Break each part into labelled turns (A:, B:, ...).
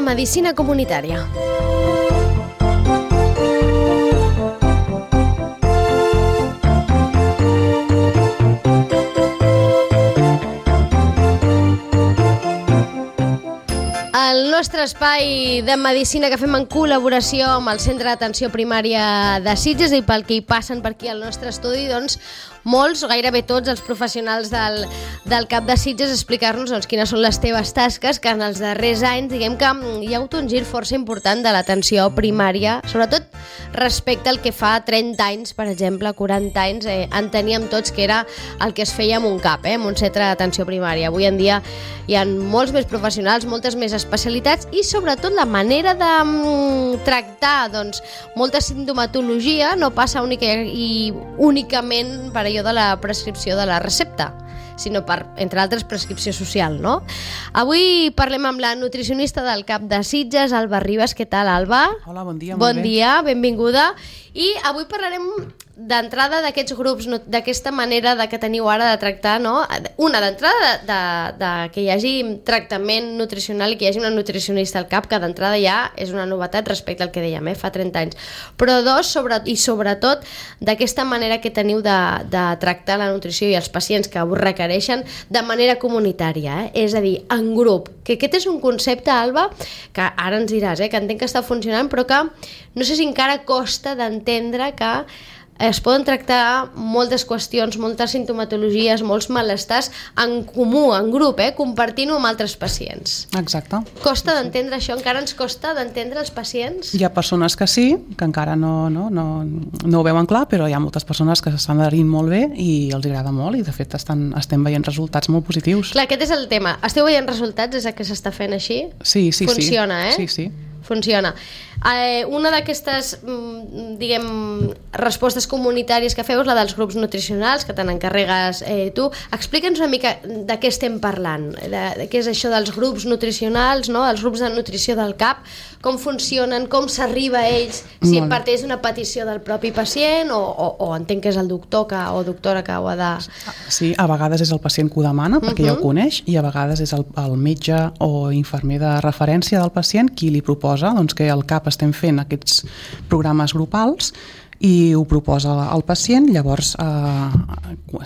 A: medicina comunitària. El nostre espai de medicina que fem en col·laboració amb el Centre d'Atenció Primària de Sitges, i pel que hi passen per aquí al nostre estudi, doncs molts, gairebé tots els professionals del CAP de Sitges, explicar-nos quines són les teves tasques, que en els darrers anys diguem que hi ha hagut un gir força important de l'atenció primària, sobretot respecte al que fa 30 anys, per exemple, 40 anys, enteníem tots que era el que es feia en un CAP, en un centre d'atenció primària. Avui en dia hi ha molts més professionals, moltes més especialitats i sobretot la manera de tractar molta sintomatologia no passa únicament per allò de la prescripció de la recepta, sinó per, entre altres, prescripció social, no? Avui parlem amb la nutricionista del CAP de Sitges, Alba Ribas. Què tal, Alba?
B: Hola, bon dia.
A: Bon dia, benvinguda. I avui parlarem d'entrada d'aquests grups, d'aquesta manera que teniu ara de tractar, no? Una, d'entrada que hi hagi tractament nutricional i que hi hagi una nutricionista al CAP, que d'entrada ja és una novetat respecte al que dèiem, fa 30 anys. Però dos, sobretot d'aquesta manera que teniu de tractar la nutrició i els pacients que ho requereixen de manera comunitària, és a dir, en grup. Que aquest és un concepte, Alba, que ara ens diràs, que entenc que està funcionant, però que no sé si encara costa d'entendre que es poden tractar moltes qüestions, moltes sintomatologies, molts malestars en comú, en grup, compartint-ho amb altres pacients.
B: Exacte.
A: Costa d'entendre això? Encara ens costa d'entendre els pacients?
B: Hi ha persones que sí, que encara no ho veuen clar, però hi ha moltes persones que s'estan adherint molt bé i els agrada molt i de fet estem veient resultats molt positius.
A: Clar, aquest és el tema. Esteu veient resultats des que s'està fent així?
B: Sí.
A: Funciona,
B: Sí.
A: Funciona. Una d'aquestes, respostes comunitàries que feu és la dels grups nutricionals, que te n'encarregues tu. Explica'ns una mica de què estem parlant, de què és això dels grups nutricionals, no? Els grups de nutrició del CAP, com funcionen, com s'arriba a ells, si parteix d'una petició del propi pacient o entenc que és el doctor o doctora que ho ha de...
B: Sí, a vegades és el pacient que ho demana, perquè ja ho coneix, i a vegades és el metge o infermer de referència del pacient qui li proposa que al CAP estem fent aquests programes grupals i ho proposa al pacient. Llavors,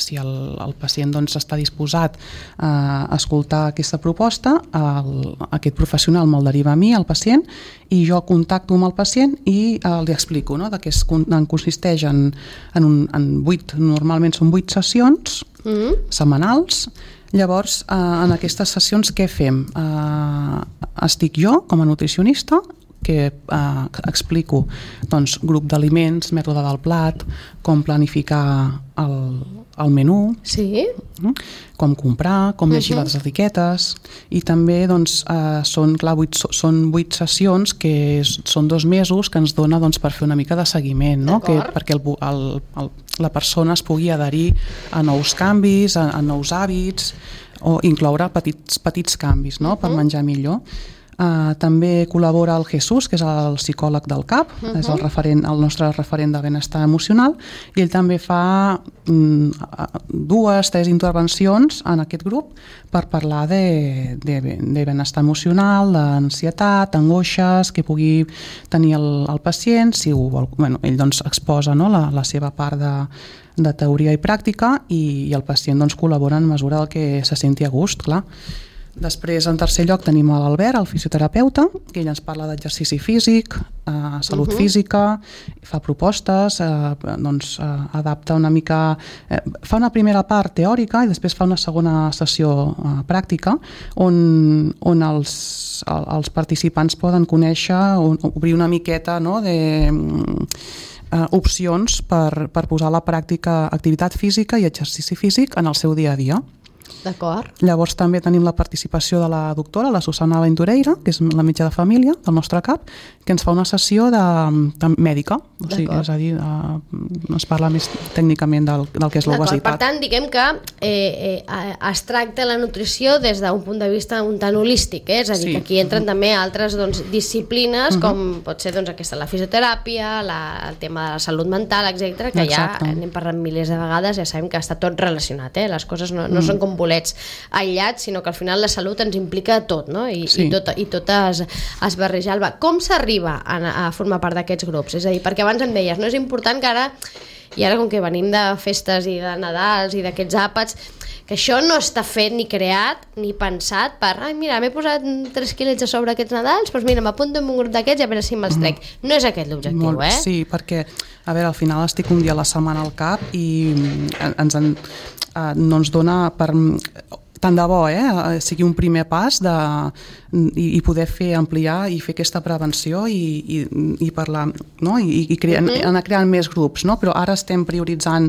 B: si el pacient està disposat a escoltar aquesta proposta, aquest professional me'l deriva a mi, al pacient, i jo contacto amb el pacient i li explico de què consisteix normalment són 8 sessions setmanals. Llavors, en aquestes sessions què fem? Estic jo com a nutricionista, que explico grup d'aliments, mètode del plat, com planificar el menú, com comprar, com llegir les etiquetes, i també són 8 sessions que són 2 mesos que ens dona per fer una mica de seguiment, perquè la persona es pugui adherir a nous canvis, a nous hàbits, o incloure petits canvis per menjar millor. També col·labora el Jesús, que és el psicòleg del CAP, és el nostre referent de benestar emocional, i ell també fa 2-3 intervencions en aquest grup per parlar de benestar emocional, d'ansietat, angoixes que pugui tenir el pacient. Si ell exposa la seva part de teoria i pràctica i el pacient col·labora en mesura del que se senti a gust, clar. Després, en tercer lloc, tenim l'Albert, el fisioterapeuta, que ell ens parla d'exercici físic, salut física, fa propostes, adapta una mica... Fa una primera part teòrica i després fa una segona sessió pràctica on els participants poden conèixer, obrir una miqueta opcions per posar a la pràctica activitat física i exercici físic en el seu dia a dia.
A: D'acord.
B: Llavors també tenim la participació de la doctora, la Susana Ventureira, que és la metge de família del nostre CAP, que ens fa una sessió mèdica, és a dir, ens parla més tècnicament del que és l'obesitat.
A: Per tant, diguem que es tracta la nutrició des d'un punt de vista un tant holístic, és a dir, que aquí entren també altres disciplines, com pot ser la fisioteràpia, el tema de la salut mental, etc., que ja n'hem parlat milers de vegades, ja sabem que està tot relacionat, les coses no són com bolets aïllats, sinó que al final la salut ens implica tot, no? I tot es barreja. Alba, com s'arriba a formar part d'aquests grups? És a dir, perquè abans em deies, no és important que ara, i ara com que venim de festes i de Nadals i d'aquests àpats, que això no està fet ni creat ni pensat per, mira, m'he posat 3 quilets a sobre aquests Nadals, doncs mira, m'apunto en un grup d'aquests i a veure si me'ls trec. No és aquest l'objectiu,
B: Sí, perquè, a veure, al final estic un dia a la setmana al CAP i no ens dona per... tant de bo, sigui un primer pas i poder fer ampliar i fer aquesta prevenció i parlar, no? I anar creant més grups, no? Però ara estem prioritzant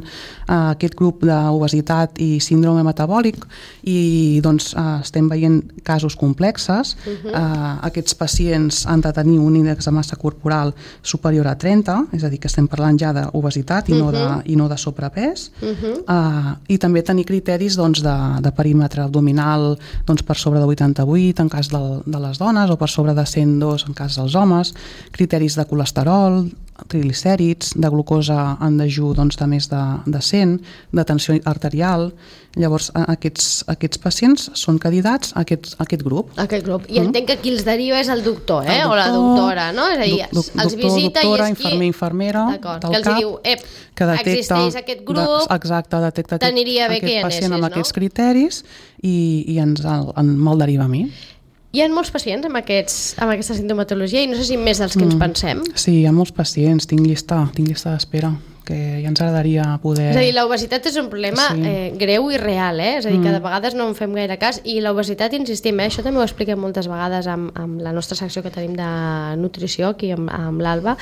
B: aquest grup d'obesitat i síndrome metabòlic i doncs estem veient casos complexes. Aquests pacients han de tenir un índex de massa corporal superior a 30, és a dir, que estem parlant ja d'obesitat i no de sobrepès, i també tenir criteris de perímetre abdominal per sobre de 88 en cas de les dones o per sobre de 102 en cas dels homes, criteris de colesterol, triglicèrids, de glucosa en dejú de més de 100, de tensió arterial. Llavors aquests pacients són candidats a aquest grup.
A: Aquest grup. I entenc que qui els deriva és el doctor, o la doctora, no? És a dir, els visita
B: doctora,
A: i és qui...
B: infermera,
A: que els diu, existeix aquest grup,
B: detecta aquest pacient amb aquests criteris i me'l deriva a mi.
A: Hi ha molts pacients amb aquesta sintomatologia i no sé si més dels que ens pensem.
B: Sí, hi ha molts pacients, tinc llista d'espera, que ja ens agradaria poder...
A: És a dir, l'obesitat és un problema greu i real, és a dir, que de vegades no en fem gaire cas i l'obesitat, insistim, això també ho expliquem moltes vegades amb la nostra secció que tenim de nutrició aquí amb l'Alba,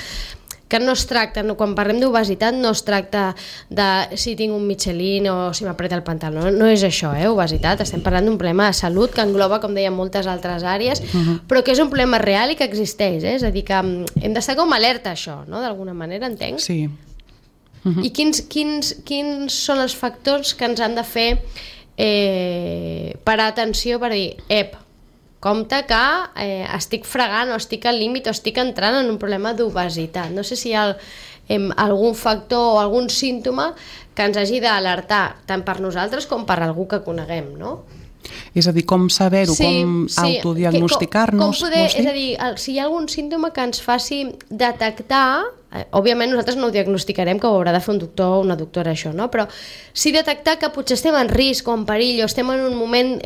A: que no es tracta, quan parlem d'obesitat no es tracta de si tinc un Michelin o si m'apreta el pantaló, no és això, obesitat, estem parlant d'un problema de salut que engloba, com dèiem, moltes altres àrees, però que és un problema real i que existeix, és a dir, que hem d'estar com alerta a això, no? D'alguna manera, entenc?
B: Sí.
A: I quins són els factors que ens han de fer parar atenció per dir, compte que estic fregant o estic al límit o estic entrant en un problema d'obesitat. No sé si hi ha algun factor o algun símptoma que ens hagi d'alertar tant per nosaltres com per algú que coneguem, no?
B: És a dir, com saber-ho, com autodiagnosticar-nos.
A: És a dir, si hi ha algun símptoma que ens faci detectar, òbviament nosaltres no ho diagnosticarem, que ho haurà de fer un doctor o una doctora això, no? Però sí detectar que potser estem en risc o en perill o estem en un moment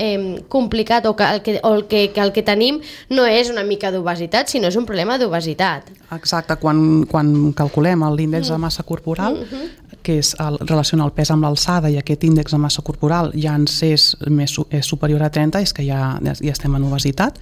A: complicat o que el que tenim no és una mica d'obesitat, sinó és un problema d'obesitat.
B: Exacte, quan calculem l'índex de massa corporal, que relaciona el pes amb l'alçada i aquest índex de massa corporal ja ens és superior a 30, és que ja estem en obesitat,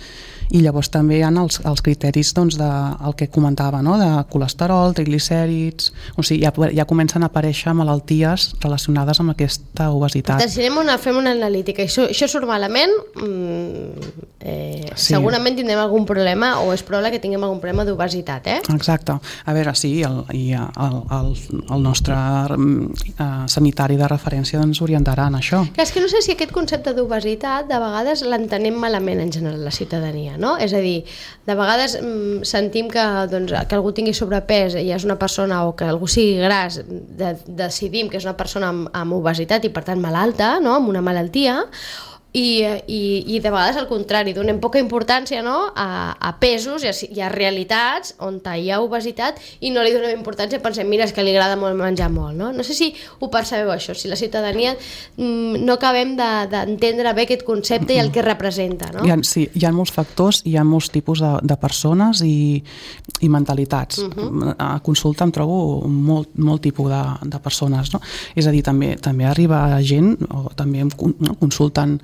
B: i llavors també hi ha els criteris del que comentava, no? De colesterol, triglicèrids, o sigui, ja comencen a aparèixer malalties relacionades amb aquesta obesitat.
A: Fem una analítica i això surt malament, segurament tindrem algun problema o és probable que tinguem algun problema d'obesitat,
B: Exacte. A veure, sí, el nostre sanitari de referència ens orientarà en això.
A: És que no sé si aquest concepte d'obesitat de vegades l'entenem malament en general la ciutadania, no? És a dir, de vegades sentim que algú tingui sobrepès i és una persona, o que algú sigui gras, decidim que és una persona amb obesitat i per tant malalta, no? Amb una malaltia, i de vegades al contrari, donem poca importància, no? a pesos i a realitats on hi ha obesitat i no li donem importància, pensem, mira, és que li agrada molt menjar molt, no? No sé si ho percebeu això, si la ciutadania no acabem d'entendre bé aquest concepte i el que representa, no?
B: Sí, hi ha molts factors, hi ha molts tipus de persones i mentalitats. A consulta em trobo molt tipus de persones, no? És a dir, també arriba gent, o també em consulten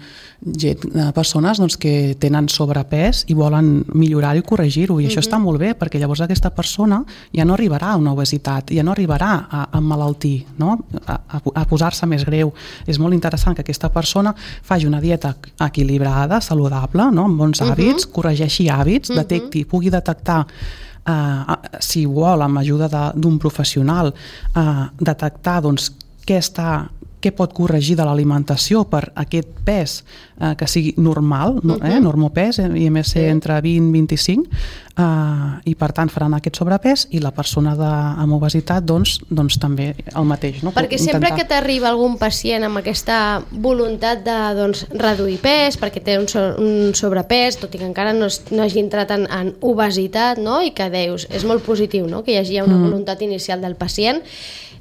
B: persones que tenen sobrepès i volen millorar-ho i corregir-ho, i això està molt bé, perquè llavors aquesta persona ja no arribarà a una obesitat, ja no arribarà a emmalaltir, no? A posar-se més greu. És molt interessant que aquesta persona faci una dieta equilibrada, saludable, no? Amb bons hàbits, corregeixi hàbits, pugui detectar, si vol, amb ajuda d'un professional, detectar què està què pot corregir de l'alimentació per aquest pes que sigui normal, normopès, IMC entre 20 i 25, i per tant faran aquest sobrepès, i la persona amb obesitat doncs també el mateix. No?
A: Perquè sempre que t'arriba algun pacient amb aquesta voluntat de reduir pes, perquè té un sobrepès, tot i que encara no hagi entrat en obesitat, no? I que deus, és molt positiu, no? Que hi hagi una voluntat inicial del pacient.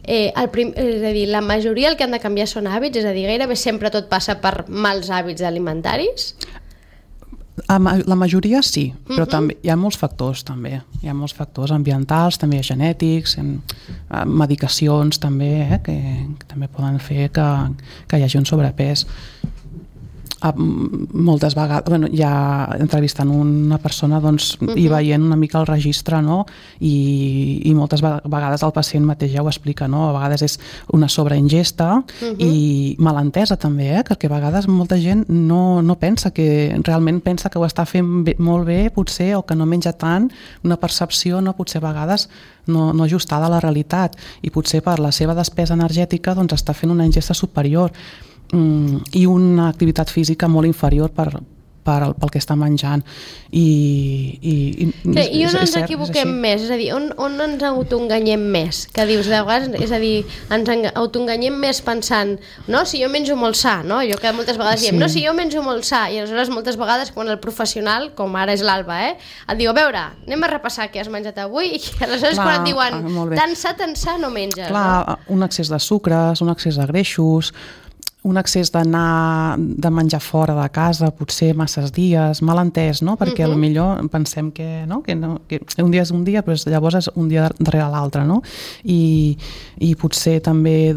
A: És a dir, la majoria el que han de canviar són hàbits, és a dir, gairebé sempre tot passa per mals hàbits alimentaris?
B: La majoria sí, però també hi ha molts factors també. Hi ha molts factors ambientals, també genètics, medicacions també, que també poden fer que hi hagi un sobrepès. Moltes vegades, ja entrevistant una persona i veient una mica el registre, no? I moltes vegades el pacient mateix ja ho explica, no? A vegades és una sobreingesta i malentesa també, perquè a vegades molta gent no pensa realment pensa que ho està fent molt bé potser, o que no menja tant, una percepció potser a vegades no ajustada a la realitat, i potser per la seva despesa energètica està fent una ingesta superior i una activitat física molt inferior pel que està menjant, i
A: on ens equivoquem més? És a dir, on ens autoenganyem més? Que dius, de vegades, és a dir, ens autoenganyem més pensant, no, si jo menjo molt sa, no? Jo que moltes vegades diem, no, si jo menjo molt sa, i aleshores moltes vegades quan el professional, com ara és l'Alba, et diu, a veure, anem a repassar què has menjat avui, i aleshores quan et diuen, tan sa no menges.
B: Clar, un excés de sucres, un excés de greixos, un excés de menjar fora de casa, potser masses dies, mal entès, no? Perquè potser pensem que un dia és un dia, però llavors és un dia darrere l'altre, no? I potser també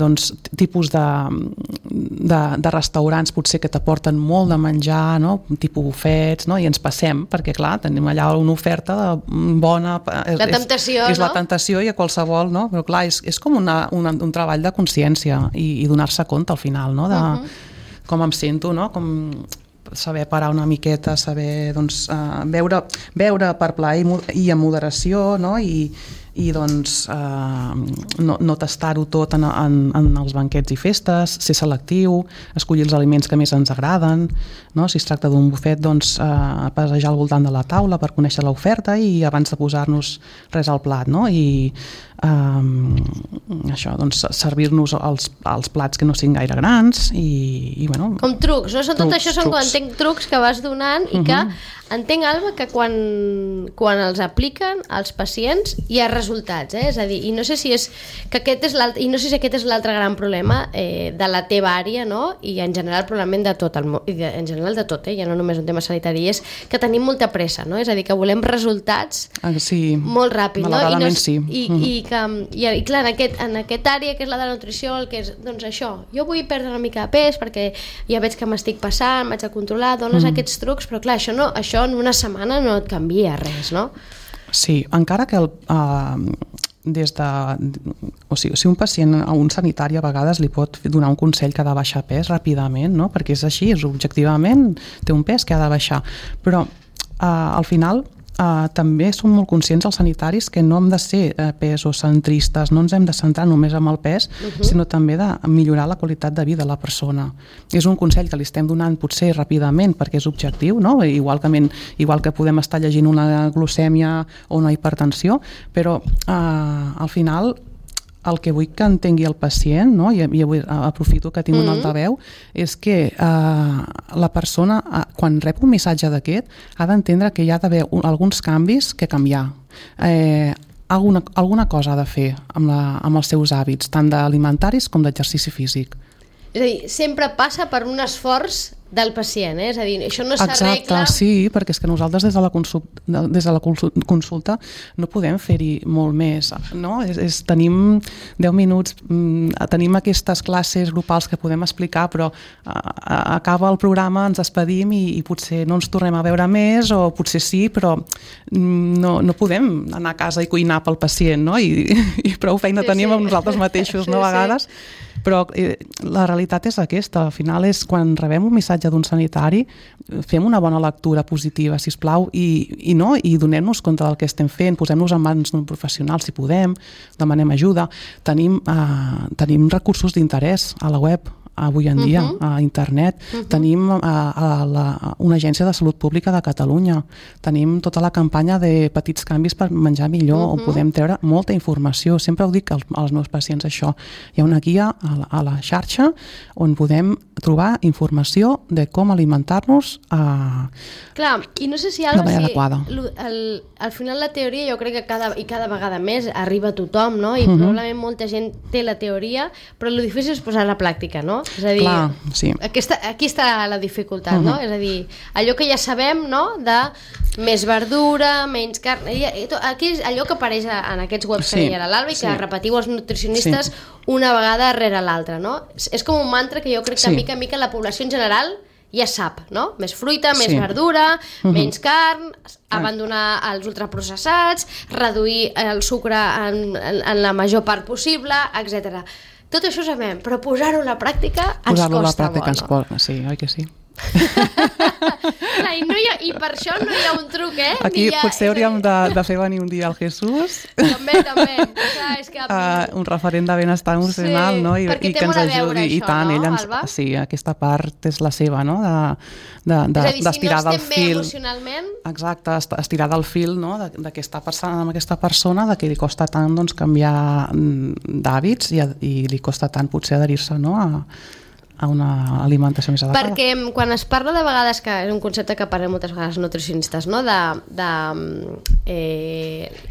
B: tipus de restaurants potser que t'aporten molt de menjar, no? Tipus bufets, no? I ens passem, perquè clar, tenim allà una oferta bona,
A: la temptació,
B: és la tentació, i a qualsevol, no? Però clar, és com un treball de consciència i donar-se compte al final, no? Com em sento, no? Com saber parar una miqueta, saber beure per plaer i amb moderació, no? I no tastar-ho tot en els banquets i festes, ser selectiu, escollir els aliments que més ens agraden, no? Si es tracta d'un bufet, passejar al voltant de la taula per conèixer l'oferta i abans de posar-nos res al plat, no? I això, servir-nos els plats que no siguin gaire grans i bueno...
A: Com trucs, no? Tot això són, quan entenc, trucs que vas donant i que entenc, Alba, que quan els apliquen als pacients hi ha resultats, és a dir, i no sé si aquest és l'altre gran problema de la teva àrea, no? I en general probablement de tot, ja no només un tema sanitari, és que tenim molta pressa, no? És a dir, que volem resultats molt ràpid, no?
B: Malauradament sí.
A: I clar, en aquest àrea que és la de la nutrició, el que és, doncs això, jo vull perdre una mica de pes perquè ja veig que m'estic passant, m'haig de controlar, dones aquests trucs, però clar, això en una setmana no et canvia res, no?
B: Sí, encara que si un pacient a un sanitari a vegades li pot donar un consell que ha de baixar pes ràpidament, no? Perquè és així, objectivament té un pes que ha de baixar, però al final també som molt conscients els sanitaris que no hem de ser pesocentristes, no ens hem de centrar només en el pes, sinó també de millorar la qualitat de vida de la persona. És un consell que li estem donant potser ràpidament perquè és objectiu, no? Igual que podem estar llegint una glucèmia o una hipertensió, però al final el que vull que entengui el pacient, no? I avui aprofito que tinc un altaveu, és que la persona, quan rep un missatge d'aquest, ha d'entendre que hi ha d'haver alguns canvis que canviar. Alguna cosa ha de fer amb els seus hàbits, tant d'alimentaris com d'exercici físic.
A: És a dir, sempre passa per un esforç del pacient, és a dir, això no s'arregla...
B: Exacte, sí, perquè és que nosaltres des de la consulta no podem fer-hi molt més, no? Tenim 10 minuts, tenim aquestes classes grupals que podem explicar, però acaba el programa, ens despedim i potser no ens tornem a veure més, o potser sí, però no podem anar a casa i cuinar pel pacient, no? I prou feina tenim amb nosaltres mateixos, no? A vegades... Però la realitat és aquesta. Al final és quan rebem un missatge d'un sanitari, fem una bona lectura positiva, sisplau, i donem-nos compte del que estem fent, posem-nos en mans d'un professional si podem, demanem ajuda. Tenim recursos d'interès a la web avui en dia, a internet. Tenim una agència de salut pública de Catalunya. Tenim tota la campanya de petits canvis per menjar millor, on podem treure molta informació. Sempre ho dic als meus pacients, això. Hi ha una guia a la xarxa on podem trobar informació de com alimentar-nos
A: Clar, i no sé si
B: de manera adequada.
A: Al final la teoria jo crec que cada vegada més arriba a tothom, no? I probablement molta gent té la teoria, però el difícil és posar a la pràctica, no? És a dir,
B: clar, sí.
A: Aquí està la dificultat, no? És a dir, allò que ja sabem, no?, de més verdura, menys carn... Aquí és allò que apareix en aquests webs que deia l'Alba i que repetiu els nutricionistes una vegada rere l'altra, no? És com un mantra que jo crec que mica en mica la població en general ja sap, no? Més fruita, més verdura, menys carn, abandonar els ultraprocessats, reduir el sucre en la major part possible, etc. Tot això ho sabem, però posar-ho a la pràctica ens costa molt.
B: Posar-ho a la pràctica ens costa, sí, oi que sí?
A: I per això no hi ha un truc,
B: Aquí potser hauríem de fer venir un dia el Jesús.
A: També.
B: Un referent de benestar emocional, no? I que ens ajudi. I tant, ell ens... Sí, aquesta part és la seva, no? D'estirar del fil. És a dir, si no estem bé
A: emocionalment...
B: Exacte, estirar del fil, no? De què està passant amb aquesta persona, de que li costa tant canviar d'hàbits i li costa tant potser adherir-se, no? A una alimentació més adequada.
A: Perquè quan es parla de vegades, que és un concepte que parlem moltes vegades nutricionistes, no? de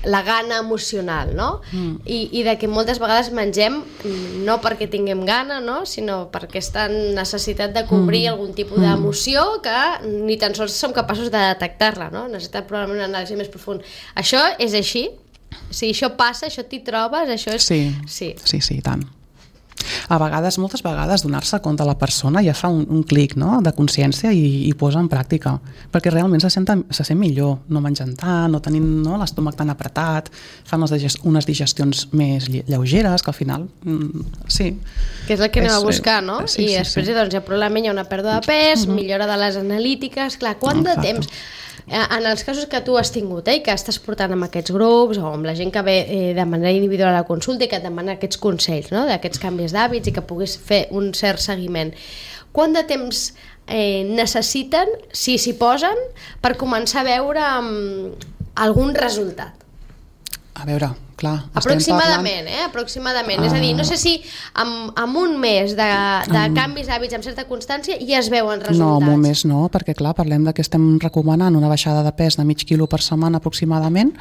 A: la gana emocional, no? I de que moltes vegades mengem no perquè tinguem gana, no? Sinó perquè està en necessitat de cobrir algun tipus d'emoció que ni tan sols som capaços de detectar-la, no? Necessita probablement una anàlisi més profund. Això és així? Si això passa, això t'hi trobes, això és...
B: Sí, tant. A vegades, moltes vegades, donar-se compte a la persona ja fa un clic, no?, de consciència i posa en pràctica, perquè realment se sent millor, no menjant tant, no tenint l'estómac tan apretat, fan unes digestions més lleugeres, que al final, sí.
A: Que és el que anem a buscar, no? I després, doncs, ja probablement hi ha una pèrdua de pes, millora de les analítiques, clar, quant de temps... En els casos que tu has tingut i que estàs portant amb aquests grups o amb la gent que ve de manera individual a la consulta i que et demana aquests consells, no? D'aquests canvis d'hàbits i que puguis fer un cert seguiment, quant de temps necessiten, si s'hi posen, per començar a veure algun resultat?
B: A veure, clar...
A: Aproximadament, aproximadament. És a dir, no sé si amb un mes de canvis d'hàbits amb certa constància ja es veuen resultats.
B: No, amb un mes no, perquè clar, parlem de que estem recomanant una baixada de pes de mig quilo per setmana aproximadament,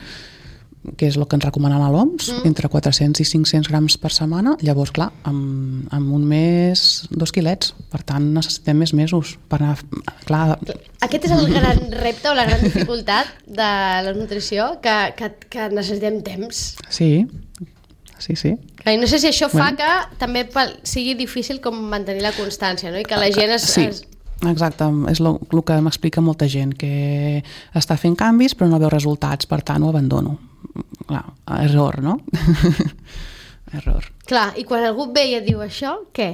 B: que és el que ens recomanen a l'OMS, entre 400 i 500 grams per setmana. Llavors, clar, amb un mes 2 quilets, per tant necessitem més mesos per anar... Clar...
A: Aquest és el gran repte o la gran dificultat de la nutrició, que necessitem temps.
B: Sí.
A: I no sé si això fa que també sigui difícil com mantenir la constància, no? I que la gent
B: Exacte, és el que m'explica molta gent, que està fent canvis però no veu resultats, per tant ho abandono. Clar, error, no? Error.
A: Clar, i quan algú ve i et diu això, què?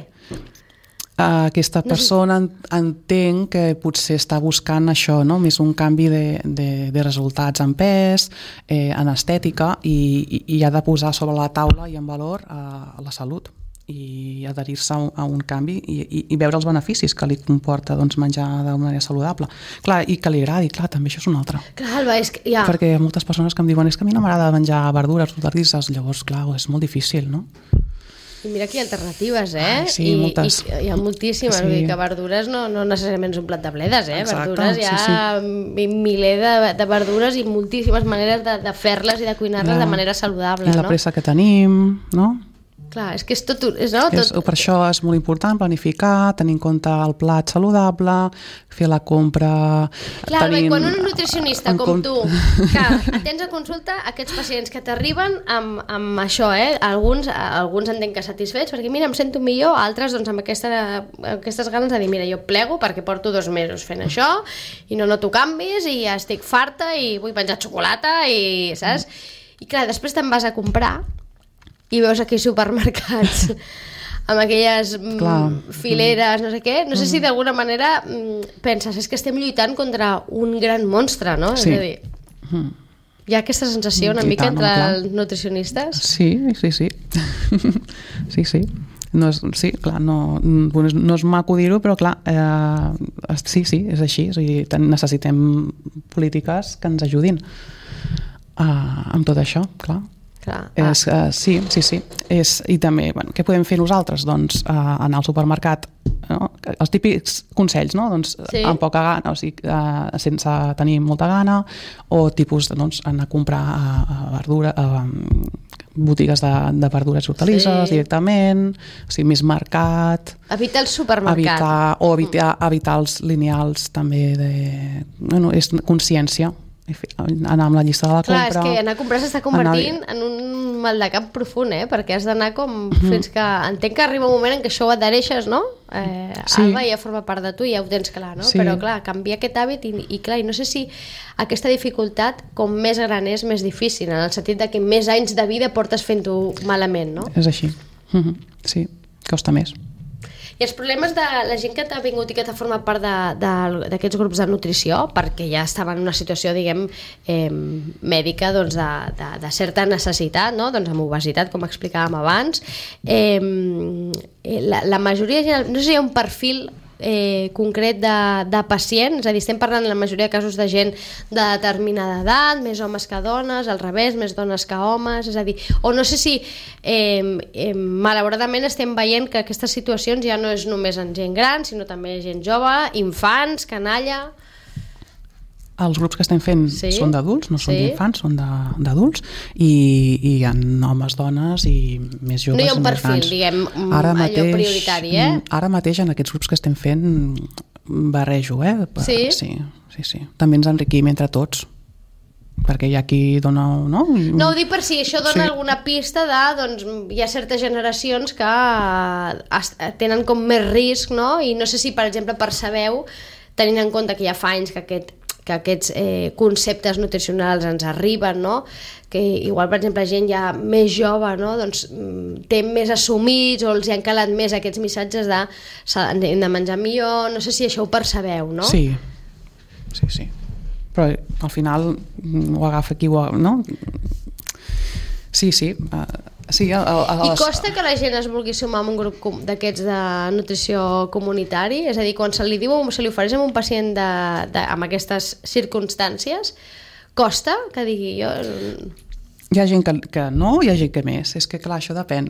B: Aquesta persona entenc que potser està buscant això, no? Més un canvi de resultats en pes, en estètica, i ha de posar sobre la taula i en valor la salut i adherir-se a un canvi i veure els beneficis que li comporta menjar d'una manera saludable. Clar, i que li agradi, clar, també això és una altra.
A: Clar, és que ja...
B: Perquè hi ha moltes persones que em diuen és que a mi no m'agrada menjar verdures, hortalisses, llavors, clar, és molt difícil, no?
A: I mira que hi ha alternatives,
B: Sí, moltes.
A: I hi ha moltíssimes, vull dir que verdures no necessàriament és un plat de bledes,
B: Exacte,
A: verdures hi ha miler de verdures i moltíssimes maneres de fer-les i de cuinar-les de manera saludable,
B: no? I la pressa que tenim, no?
A: Clar, és que és tot...
B: Per això és molt important planificar, tenir en compte el plat saludable, fer la compra...
A: Clar, quan un nutricionista com tu, que atens a consulta aquests pacients que t'arriben amb això, alguns entenc que satisfets, perquè mira, em sento millor, altres doncs amb aquestes ganes de dir, mira, jo plego perquè porto 2 mesos fent això i no noto canvis i ja estic farta i vull menjar xocolata i, saps? I clar, després te'n vas a comprar i veus aquí supermercats amb aquelles fileres, no sé què. No sé si d'alguna manera penses, és que estem lluitant contra un gran monstre, no?
B: Sí.
A: És a dir, hi ha aquesta sensació una mica entre els nutricionistes?
B: Sí. Sí. No és, sí, clar, no és maco dir-ho, però clar, sí, és així. És a dir, necessitem polítiques que ens ajudin amb tot això, clar. Sí. I també, què podem fer nosaltres? Doncs anar al supermercat, no? Els típics consells, no? Doncs, amb poca gana, o sigui, sense tenir molta gana, o tipus, doncs, anar a comprar verdura, botigues de verdures i hortalisses directament, o sigui, més mercat.
A: Evitar el supermercat.
B: Evitar els lineals també és consciència. Anar amb la llista de la compra.
A: Clar, és que anar a comprar s'està convertint en un mal de cap profund, perquè has d'anar com fins que... Entenc que arriba un moment en què això ho adhereixes, no? Alba ja forma part de tu i ja ho tens clar, no? Però clar, canviar aquest hàbit i clar, i no sé si aquesta dificultat com més gran és més difícil, en el sentit de que més anys de vida portes fent-ho malament, no?
B: És així. Sí, costa més.
A: I els problemes de la gent que t'ha vingut i que t'ha format part d'aquests grups de nutrició, perquè ja estava en una situació, diguem, mèdica, doncs, de certa necessitat, no? Doncs amb obesitat, com explicàvem abans, la majoria de gent, no sé si hi ha un perfil concret de pacient, és a dir, estem parlant en la majoria de casos de gent de determinada edat, més homes que dones, al revés, més dones que homes, és a dir, o no sé si malauradament estem veient que aquestes situacions ja no és només en gent gran, sinó també gent jove, infants, canalla.
B: Els grups que estem fent són d'adults, no són d'infants, són d'adults, i hi ha homes, dones i més joves.
A: No hi ha un perfil, diguem, allò prioritari,
B: Ara mateix en aquests grups que estem fent barrejo, Sí. També ens enriquim entre tots, perquè hi ha qui dona... No,
A: ho dic per si això dona alguna pista de, doncs, hi ha certes generacions que tenen com més risc, no? I no sé si, per exemple, percebeu, tenint en compte que ja fa anys que aquests conceptes nutricionals ens arriben, no? Que igual, per exemple, gent ja més jove, no? Doncs, té més assumits o els hi han calat més aquests missatges de hem de menjar millor, no sé si això ho percebeu, no?
B: Sí. Però al final ho agafa qui ho... no? Sí.
A: I costa que la gent es vulgui sumar a un grup d'aquests de nutrició comunitari? És a dir, quan se li diu o se li ofereix a un pacient amb aquestes circumstàncies, costa que digui jo...
B: Hi ha gent que no, hi ha gent que més. És que clar, això depèn.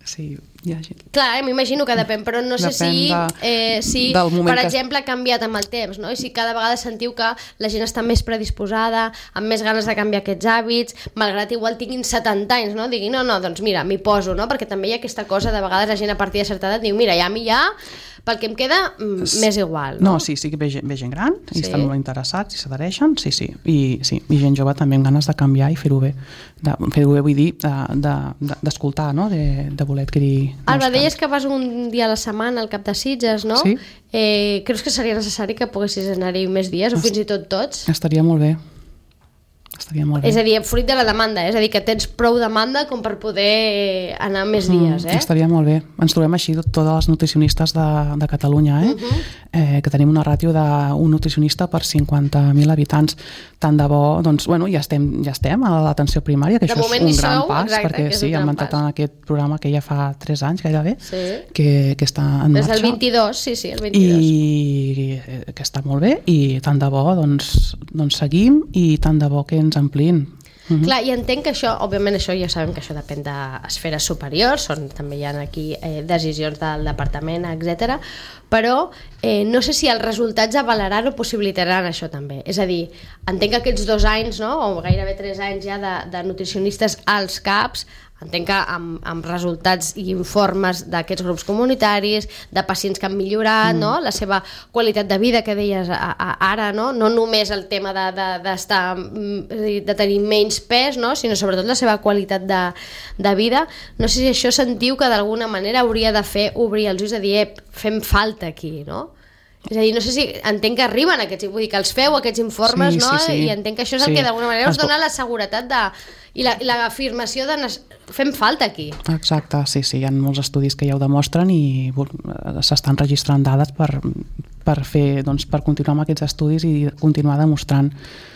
B: Sí, hi ha gent.
A: Clar, m'imagino que depèn, però no sé si per exemple, ha canviat amb el temps, no? I si cada vegada sentiu que la gent està més predisposada, amb més ganes de canviar aquests hàbits, malgrat igual tinguin 70 anys, no? Diguin, no, doncs mira, m'hi poso, no? Perquè també hi ha aquesta cosa, de vegades la gent a partir de certa edat diu, mira, ja a mi pel que em queda, més igual, no?
B: No, sí que ve gent gran i estan molt interessats i s'adhereixen, sí. I gent jove també amb ganes de canviar i fer-ho bé. Fer-ho bé vull dir d'escoltar, no? De voler adquirir...
A: Alba, deies que vas un dia a la setmana al Cap de Sitges, no?
B: Sí.
A: Creus que seria necessari que poguessis anar-hi més dies o fins i tot tots?
B: Estaria molt bé.
A: És a dir, fruit de la demanda, és a dir, que tens prou demanda com per poder anar més dies,
B: Estaria molt bé. Ens trobem així totes les nutricionistes de Catalunya, que tenim una ràtio d'un nutricionista per 50.000 habitants. Tant de bo, doncs, ja estem a l'atenció primària, que això és un gran pas, perquè hem entrat en aquest programa que ja fa 3 anys gairebé, que està en marxa.
A: Des del 22, sí, el 22.
B: I que està molt bé, i tant de bo, doncs seguim, i tant de bo que ens amplin.
A: Clar, i entenc que això, òbviament això ja sabem que això depèn d'esferes superiors, també hi ha aquí decisions del departament, etc. Però no sé si els resultats avalaran o possibilitaran això també. És a dir, entenc que aquests 2 anys, no, o gairebé 3 anys ja de nutricionistes als CAPs, entenc que amb resultats i informes d'aquests grups comunitaris, de pacients que han millorat, no? La seva qualitat de vida, que deies ara, no només el tema de tenir menys pes, no? Sinó sobretot la seva qualitat de vida. No sé si això sentiu que d'alguna manera hauria de fer obrir els ulls de dir, fem falta aquí, no? És a dir, no sé si entenc que arriben aquests, vull dir que els feu aquests informes, no? I entenc que això és el que d'alguna manera us dona la seguretat de I l'afirmació de fem falta aquí.
B: Exacte, sí, hi ha molts estudis que ja ho demostren i s'estan registrant dades per continuar amb aquests estudis i continuar demostrant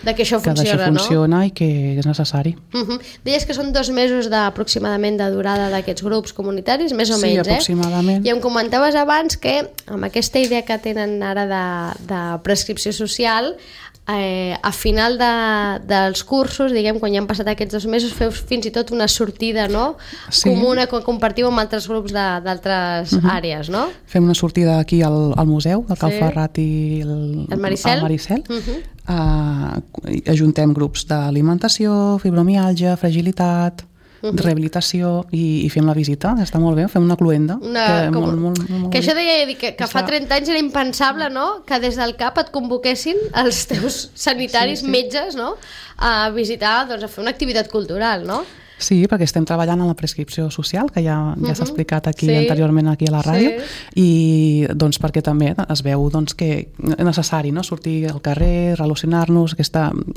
A: que això
B: funciona, no? I que és necessari.
A: Deies que són 2 mesos aproximadament de durada d'aquests grups comunitaris, més o menys,
B: Sí, aproximadament.
A: I em comentaves abans que amb aquesta idea que tenen ara de prescripció social, a final dels cursos, diguem, quan ja han passat aquests 2 mesos, feu fins i tot una sortida, no? Comuna que compartiu amb altres grups d'altres àrees, no?
B: Fem una sortida aquí al museu de Cal Ferrat i el Maricel. Ajuntem grups d'alimentació, fibromiàlgia, fragilitat, rehabilitació i fem la visita, està molt bé, fem una cluenda
A: que això deia que fa 30 anys era impensable, no? Que des del CAP et convoquessin els teus sanitaris, metges, no? A visitar, doncs a fer una activitat cultural, no?
B: Sí, perquè estem treballant en la prescripció social, que ja s'ha explicat anteriorment aquí a la ràdio, i doncs perquè també es veu que és necessari, no? Sortir al carrer, relacionar-nos,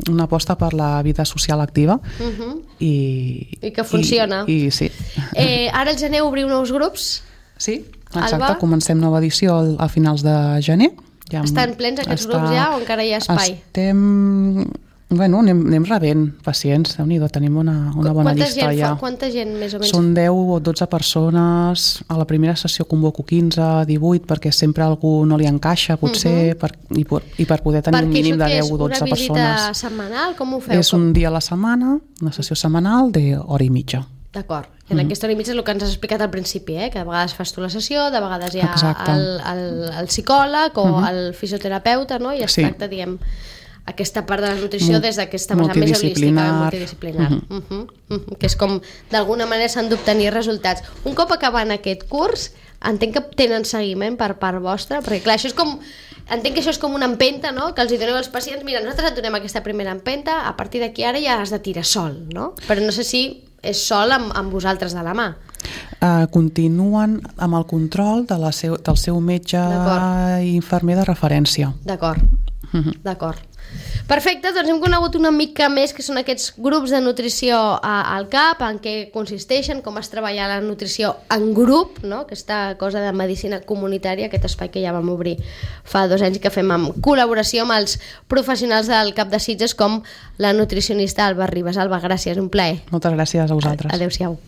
B: una aposta per la vida social activa.
A: I que funciona.
B: Sí.
A: Ara al gener obriu nous grups?
B: Sí, exacte, comencem nova edició a finals de gener.
A: Estan plens aquests grups ja o encara hi ha espai?
B: Anem rebent pacients, Déu-n'hi-do, tenim una bona llista ja.
A: Quanta gent més o menys?
B: Són 10 o 12 persones, a la primera sessió convoco 15, 18, perquè sempre algú no li encaixa, potser, i per poder tenir un mínim de 10 o 12 persones.
A: Perquè això és una visita setmanal? Com ho feu?
B: És un dia a la setmana, una sessió setmanal d'hora i mitja.
A: D'acord. En aquesta hora i mitja és el que ens has explicat al principi, que de vegades fas tu la sessió, de vegades hi ha el psicòleg o el fisioterapeuta, no? I es tracta, diguem, aquesta part de la nutrició des d'aquesta vessant més holística, multidisciplinar, que és com d'alguna manera s'han d'obtenir resultats. Un cop acabant aquest curs, entenc que tenen seguiment per part vostra, perquè clar, això és com, entenc que això és com una empenta, no? Que els hi doneu als pacients, mira, nosaltres et donem aquesta primera empenta, a partir d'aquí ara ja has de tirar sol, no? Però no sé si és sol amb vosaltres de la mà.
B: Continuen amb el control del seu metge i infermer de referència.
A: D'acord. Perfecte, doncs hem conegut una mica més que són aquests grups de nutrició al CAP, en què consisteixen, com es treballa la nutrició en grup, no? Aquesta cosa de medicina comunitària, aquest espai que ja vam obrir fa 2 anys i que fem en col·laboració amb els professionals del CAP de Sitges com la nutricionista Alba Ribas. Alba, gràcies, un plaer.
B: Moltes gràcies a vosaltres.
A: Adéu-siau.